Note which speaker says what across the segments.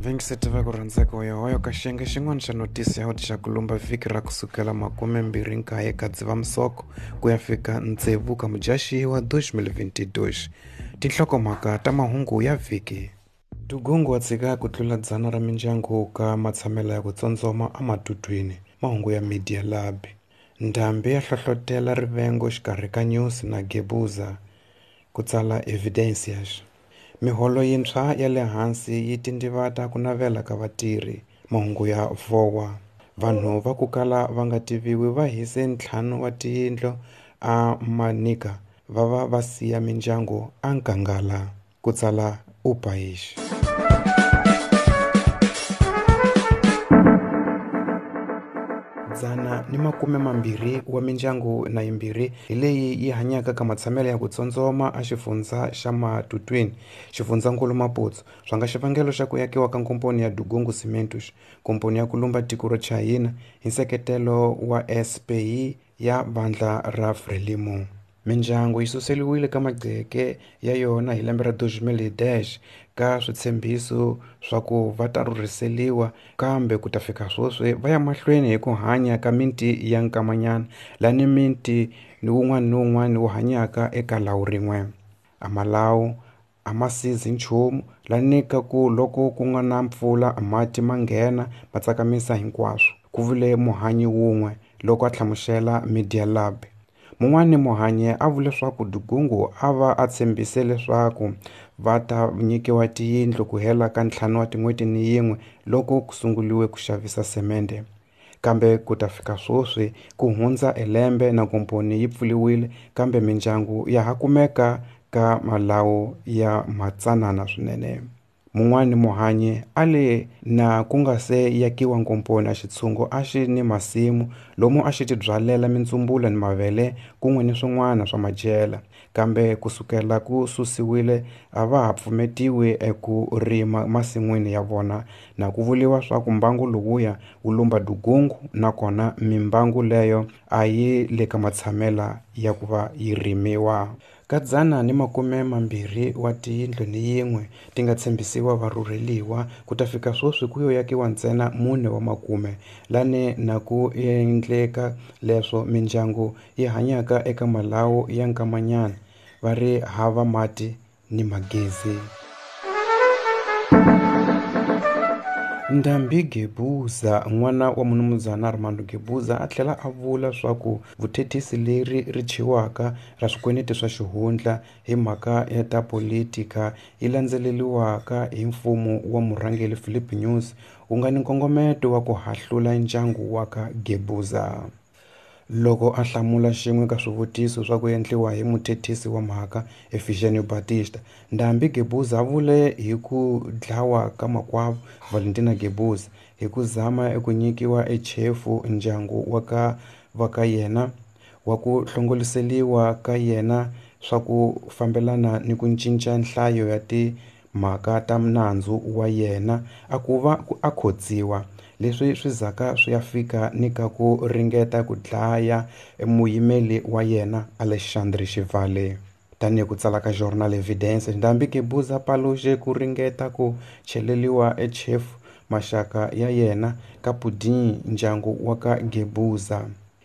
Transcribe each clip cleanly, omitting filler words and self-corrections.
Speaker 1: Vayingiseti va ku rhandzeka wa yohoyo ka xiyenge xin'wana xa notisi ya xa kulumba vhiki ra kusukela 29 ka Dzivamisoko ku ya fika 6 ka Mudyaxihi wa 2022. Tinhlokomhaka ta mahungu ya vhiki. Dugungu wa tshika ku tlula 100 ra mindyangu ka matshamelo ya ku tsotsoma ematutwini. Mahungu ya Media Lab. Ndhambi ya hlohlotela rivengo xikarhi ka Nyusi na Gebuza, ku tsala Evidências. Miholo yintshwa ya le hansi yi tindivata ku navela ka vatirhi. Mahungu ya VOA. Vanhu va ku kala va nga tiviwi va hise 5 wa tiyindlu a Manica va va va siya mindyangu a nkangala, ku tsala O País. 120 wa mindyangu na yimbirhi hi leyi yi hanyaka ka matshamelo ya ku tsotsoma a xifundza xa Matutuine, xifundzankulu Maputo, swa nga xivangelo xa ku yakiwa ka nkomponi ya Dugungu Cimentos, komponi ya kulumba tiko ra Chayina hi nseketelo wa SPE ya vandla ra Frelimo. Mindyangu yi suseliwile ka magceke ya yona hi lembe ra 2010 ka switshembiso swa ku va ta rhurhiseliwa, kambe ku ta fika sweswi va ya mahlweni hi ku hanya ka miti ya nkamanyana lani miti ni wun'wana ni wun'wana wu hanyaka eka lawu rin'we. A malawu a ma sizi nchumu lani ka ku loko ku nga na mpfula mati ma nghena ma tsakamisa hinkwaswo, ku vule muhanyi wun'we loko a hlamusela Media Lab. Mun'wani muhanyi a vule leswaku Dugungu a va a tshembise leswaku va ta nyikiwa tiyindlu ku hela ka 5 wa tin'hweti ni yin'we loko ku sunguliwe ku xavisa semende. Kambe ku ta fika sweswi ku hundza elembe na komponi yi pfuriwile, kambe mindyangu ya ha kumeka ka malawu ya matsanana swinene. Mun'wani muhanyi a le na ku nga se yakiwa nkomponi a xitshungu a xi ni masimu lomu a xi tibyalela mintsumbula ni mavele kun'we ni swin'wana swa madyela, kambe kusukela ku susiwile a va ha pfumetiwi eku rima masin'wini ya vona, na ku vuriwa swa ku mbangu lowuya wu lumba Dugungu nakona mimbangu leyo a yi le ka matshamela ya ku va yi rimiwa. Ka 120 wa tiyindlu ni yin'we ti nga tshembisiwa varhurheliwa ku ta fika sweswi ku yo yakiwa ntsena 4 wa makume, lani na ku endleka leswo mindyangu yi hanyaka eka malawu ya nkamanyana va ri hava mati ni magezi. Ndhambi Gebuza, n'wana wa munumuzana Armando Gebuza, a tlhela a vula swa ku vuthethisi leri ri thyiwaka ra swikweleti swa xihundla hi mhaka ya ta politika yi landzeleriwaka hi mfumo wa murhangeri Filipe Nyusi wu nga ni nkongometo wa ku hahlula ndyangu wa ka Gebuza. Loko a hlamula xin'we ka swivutiso swa ku endliwa hi muthethisi wa mhaka Efigênio Batista, Ndhambi Gebuza a vule hi ku dlawa ka makwavo Valentina Gebuza hi ku zama eku nyikiwa echefu ndyangu wa ka va ka yena wa ku hlongoliseliwa ka yena swa ku fambelana ni ku cinca nhlayo ya timhaka ta nandzu wa yena a ku va a khotsiwa. Leswi swi zaka swi ya fika ni ka ku ringeta ku dlaya muyimeli wa yena Alexandre Xivale. Tanihi ku tsala ka Jornal Evidência, Ndhambi Gebuza paluxe ku ringeta ku cheleliwa echefu maxaka ya yena ka Pudim ndyangu wa ka Gebuza.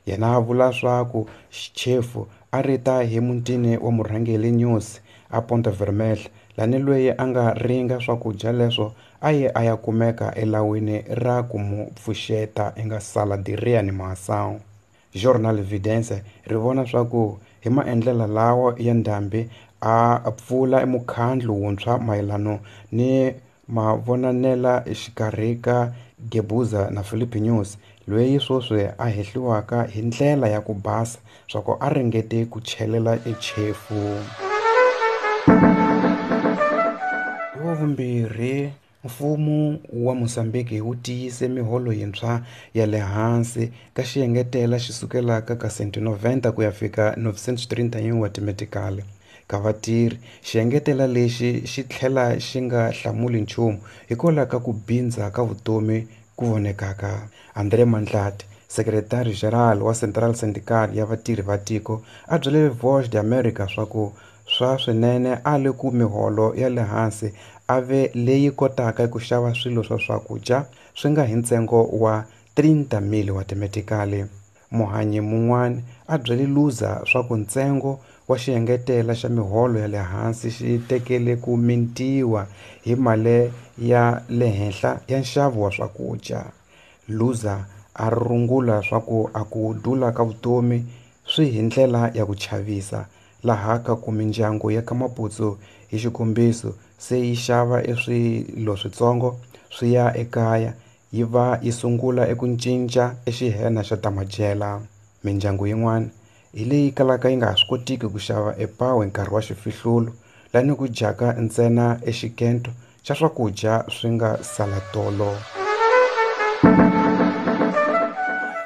Speaker 1: Yena a vula swa ku chefu a ri ta hi mutini wa murhangeri Nyusi a Ponta Vermelha, lani loyi a nga ringa swakudya leswo a ye a ya kumeka elawini ra ku mu pfuxeta eka sala de reanimação. Jornal Evidência ri vona swa ku hi maendlelo lawa ya Ndhambi a pfula mukhandlu wuntshwa mayelano ni mavonanela exikarhi ka Gebuza na Filipe Nyusi, loyi sweswi a hehliwaka hi ndlela ya ku basa swa ku a ringete ku chelela echefu. Hi wa vumbirhi, mfumo wa Mozambique wu tiyise miholo yintshwa ya le hansi ka xiengetela xi sukelaka ka 190 ku ya fika 931 wa timetikali ka vatirhi. Xiengetela lexi xi tlhela xi nga hlamuli nchumu hikwalaho ka ku bindza ka vutomi ku vonekaka. André Mandlati, sekretari general wa Central Syndical ya vatirhi va tiko, a byele Voz de América swa ku swa swinene a le ku miholo ya le hansi a ve leyi kotaka ku xava swilo swa swakudya swi nga hi ntsengo wa 30,000 wa timetikali. Muhanyi mun'wana a byele Luza swa ku ntsengo wa xiengetela xa miholo ya le hansi xi tekele ku mintiwa hi mali ya le henhla ya nxavo wa swakudya. Luza a rungula swa ku a ku dula ka vutomi swi hi ndlela ya ku chavisa laha ka ku mindyangu ya ka Maputsu hi xikombiso se yi xava eswilo switsongo swi ya ekaya yi va yi sungula eku cinca exihena xa tamajela. Mindyangu yin'wana hi leyi kalaka yi nga ha swi kotiki ku xava epawu hi nkarhi wa xifihlulo lani ku dyaka ntsena exikento xa swakudya swi nga sala tolo.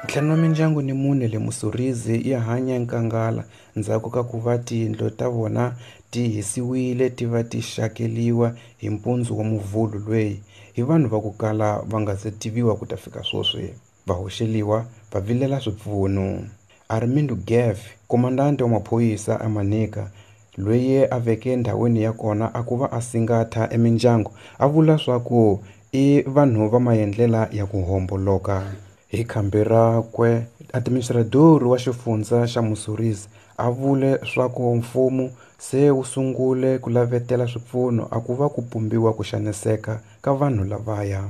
Speaker 1: Ntlhanu wa mindyangu ni mune le Mussorizi ya hanya nkangala ndzhaku ka ku va tiyindlu ta vona ti hisiwile ti va ti xakeliwa hi mpundzu wa muvhulu lweyi hi vanhu va ku kala va nga se tiviwa ku ta fika sweswi. Va hoxeliwa va vilela swipfuno. Armindo Geff, komandante wa maphorisa a Manica, loyi a veke ndhawini ya kona a ku va a singatha emindyangu a vula swa ku i vanhu va maendlela ya ku homboloka. Hi khambi rakwe administrador wa xifundza xa Mussorizi a vule swa ku mfumo se wu sungule ku lavetela swipfuno a ku va ku pumbiwa ku xaniseka ka vanhu lavaya.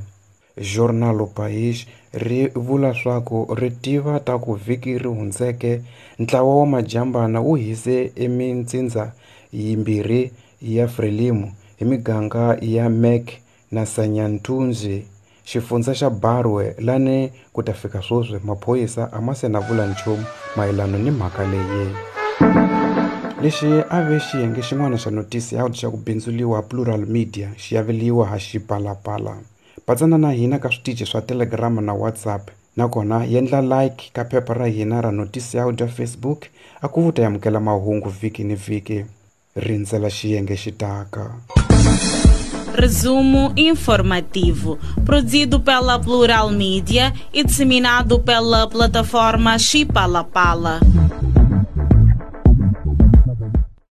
Speaker 1: Jornal O País ri vula swa ku ri tiva ta ku vhiki ri hundzeke ntlawa wa majambana wu hise emintsindza yimbirhi ya Frelimo hi miganga ya Mek na Sanyantundzi xifundza xa Barwe lani ku ta fika sweswi maphorisa a ma se na vula nchumu mayelana ni mhaka leyi. Lexi a ve xiyenge xin'wana xa notisi ya xa ku bindzuliwa Plural Media xi aveliwa ha Xipalapala. Patsana na hina ka switichi swa Telegram na WhatsApp nakona yendla like ka phepha ra hina ra notisi ya audio Facebook a ku vuta yamukela mahungu vhiki ni vhiki. Rindzela xiyenge xi taka.
Speaker 2: Resumo informativo, produzido pela Plural Mídia e disseminado pela plataforma Xipalapala.